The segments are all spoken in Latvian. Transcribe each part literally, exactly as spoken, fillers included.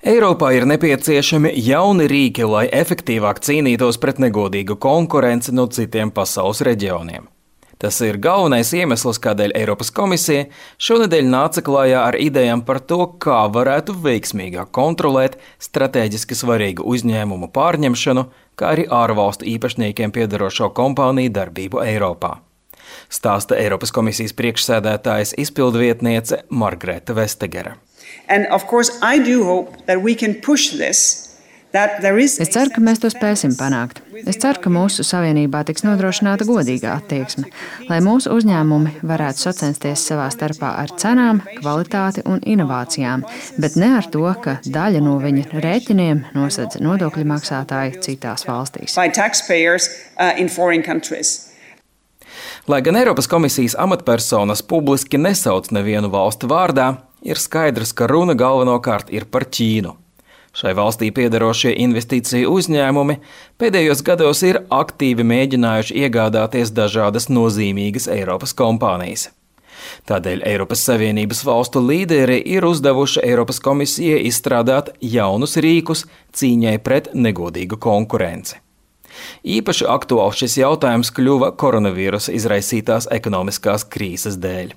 Eiropā ir nepieciešami jauni rīki, lai efektīvāk cīnītos pret negodīgu konkurenci no citiem pasaules reģioniem. Tas ir galvenais iemesls, kādēļ Eiropas komisija šonedēļ nāca klajā ar idejām par to, kā varētu veiksmīgāk kontrolēt stratēģiski svarīgu uzņēmumu pārņemšanu, kā arī ārvalstu īpašniekiem piederošo kompāniju darbību Eiropā. Stāsta Eiropas komisijas priekšsēdētājas izpildvietniece Margrete Vestager. And of course, I do hope that we can push this. Es ceru, ka mēs to spēsim panākt. Es ceru, ka mūsu savienībā tiks nodrošināta godīga attieksme, lai mūsu uzņēmumi varētu sacensties savā starpā ar cenām, kvalitāti un inovācijām, bet ne ar to, ka daļa no viņu rēķiniem nosedz nodokļu maksātāji citās valstīs. Lai gan Eiropas komisijas amatpersonas publiski nesauc nevienu valstu vārdā, ir skaidrs, ka runa galvenokārt ir par Ķīnu. Šai valstī piederošie investīciju uzņēmumi pēdējos gados ir aktīvi mēģinājuši iegādāties dažādas nozīmīgas Eiropas kompānijas. Tādēļ Eiropas Savienības valstu līderi ir uzdevuši Eiropas komisijai izstrādāt jaunus rīkus cīņai pret negodīgu konkurenci. Īpaši aktuāls šis jautājums kļuva koronavīrusa izraisītās ekonomiskās krīzes dēļ.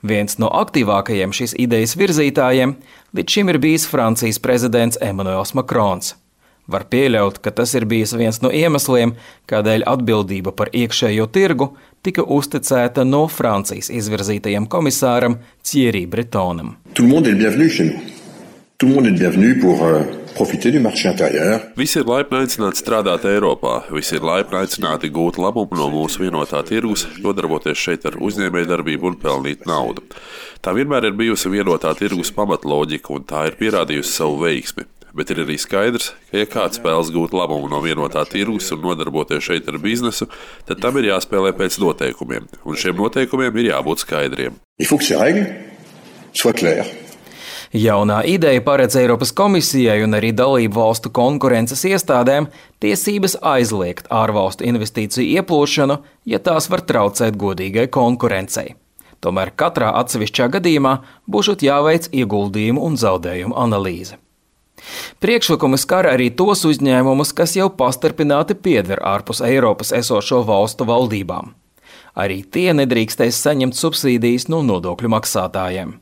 Viens no aktīvākajiem šīs idejas virzītājiem līdz šim ir bijis Francijas prezidents Emmanuels Macrons. Var pieļaut, ka tas ir bijis viens no iemesliem, kādēļ atbildība par iekšējo tirgu tika uzticēta no Francijas izvirzītajam komisāram Thierry Bretonam. Tout le monde est bienvenu chez nous. Tout le monde est bienvenu pour uh, profiter du marché intérieur. Visi ir laipni aicināti strādāt Eiropā, visi ir laipni aicināti gūt labumu no mūsu vienotā tirgus, nodarboties šeit ar uzņēmējdarbību un pelnīt naudu. Tā vienmēr ir bijusi vienotā tirgus pamatloģika un tā ir pierādījusi savu veiksmi. Bet ir arī skaidrs, ka ja kāds spēles gūt labumu no vienotā tirgus un nodarboties šeit ar biznesu, tad tam ir jāspēlē pēc noteikumiem, un šiem noteikumiem ir jābūt skaidriem. Il faut que ces règles soient claires. Jaunā ideja paredz Eiropas komisijai un arī dalību valstu konkurences iestādēm tiesības aizliegt ārvalstu investīciju ieplūšanu, ja tās var traucēt godīgai konkurencei. Tomēr katrā atsevišķā gadījumā būšot jāveic ieguldījumu un zaudējumu analīze. Priekšlikumi skar arī tos uzņēmumus, kas jau pastarpināti pieder ārpus Eiropas esošo valstu valdībām. Arī tie nedrīkstēs saņemt subsīdijas no nodokļu maksātājiem.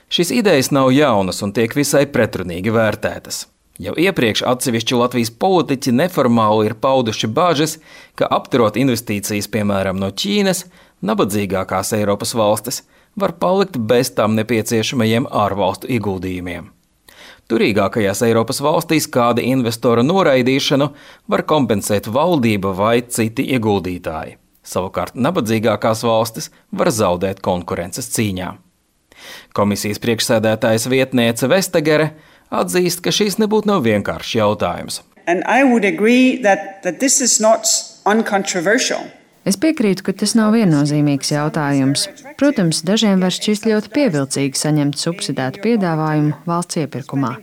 Šīs idejas nav jaunas un tiek visai pretrunīgi vērtētas. Jau iepriekš atsevišķi Latvijas politiķi neformāli ir pauduši bāžas, ka apturot investīcijas, piemēram, no Ķīnas, nabadzīgākās Eiropas valstis var palikt bez tām nepieciešamajiem ārvalstu ieguldījumiem. Turīgākajās Eiropas valstīs kāda investora noraidīšanu var kompensēt valdība vai citi ieguldītāji. Savukārt nabadzīgākās valstis var zaudēt konkurences cīņā. Komisijas priekšsēdētājas vietniece Vestagere atzīst, ka šīs nebūtu nav vienkāršs jautājums. That, that es piekrītu, ka tas nav viennozīmīgs jautājums. Protams, dažiem var šķist ļoti pievilcīgi saņemt subsidētu piedāvājumu valsts iepirkumā.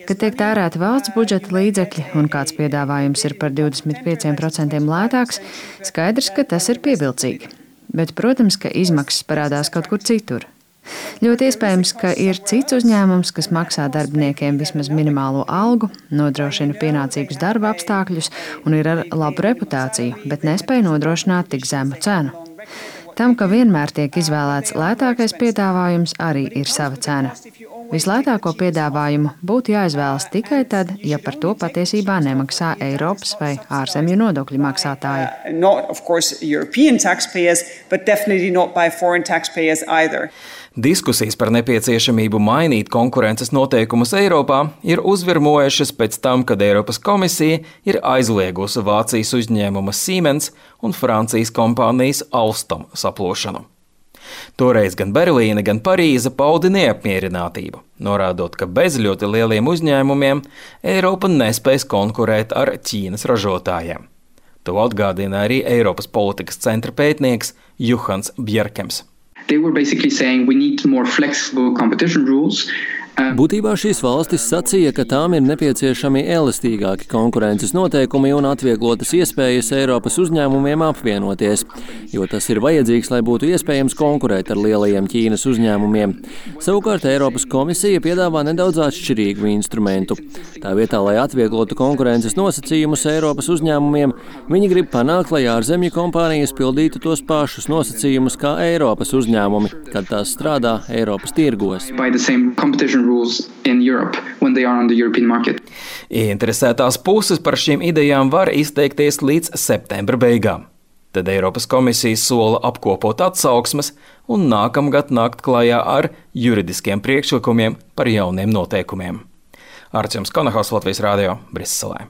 Kad tiek tērēti valsts budžeta līdzekļi un kāds piedāvājums ir par divdesmit pieciem procentiem lētāks, skaidrs, ka tas ir pievilcīgi. Bet, protams, ka izmaksas parādās kaut kur citur. Ļoti iespējams, ka ir cits uzņēmums, kas maksā darbiniekiem vismaz minimālo algu, nodrošina pienācīgus darba apstākļus un ir ar labu reputāciju, bet nespēja nodrošināt tik zemu cenu. Tam, ka vienmēr tiek izvēlēts lētākais piedāvājums, arī ir sava cena. Vislētāko piedāvājumu būtu jāizvēlas tikai tad, ja par to patiesībā nemaksā Eiropas vai ārzemju nodokļu maksātāji. Diskusijas par nepieciešamību mainīt konkurences noteikumus Eiropā ir uzvirmojušas pēc tam, kad Eiropas komisija ir aizliegusi Vācijas uzņēmuma Siemens un Francijas kompānijas Alstom saplošanu. Toreiz gan Berlīne, gan Parīze paudi neapmierinātību, norādot, ka bez ļoti lieliem uzņēmumiem Eiropa nespēs konkurēt ar Ķīnas ražotājiem. To atgādina arī Eiropas politikas centra pētnieks Juhans Bjerkems. They were basically saying we need more flexible competition rules Būtībā šīs valstis sacīja, ka tām ir nepieciešami elastīgāki konkurences noteikumi un atvieglotas iespējas Eiropas uzņēmumiem apvienoties, jo tas ir vajadzīgs, lai būtu iespējams konkurēt ar lielajiem Ķīnas uzņēmumiem. Savukārt Eiropas komisija piedāvā nedaudz atšķirīgu instrumentu. Tā vietā, lai atvieglotu konkurences nosacījumus Eiropas uzņēmumiem, viņi grib panākt, lai ārzemju kompānijas pildītu tos pašus nosacījumus kā Eiropas uzņēmumi, kad tās strādā Eiropas tirgos. Interesētās puses par šīm idejām var izteikties līdz septembra beigām. Tad Eiropas komisija sola apkopot atsauksmes un nākamgad nākt klajā ar juridiskiem priekšlikumiem par jauniem noteikumiem. Arčuns Konahaus, Latvijas Rādio, Briselē.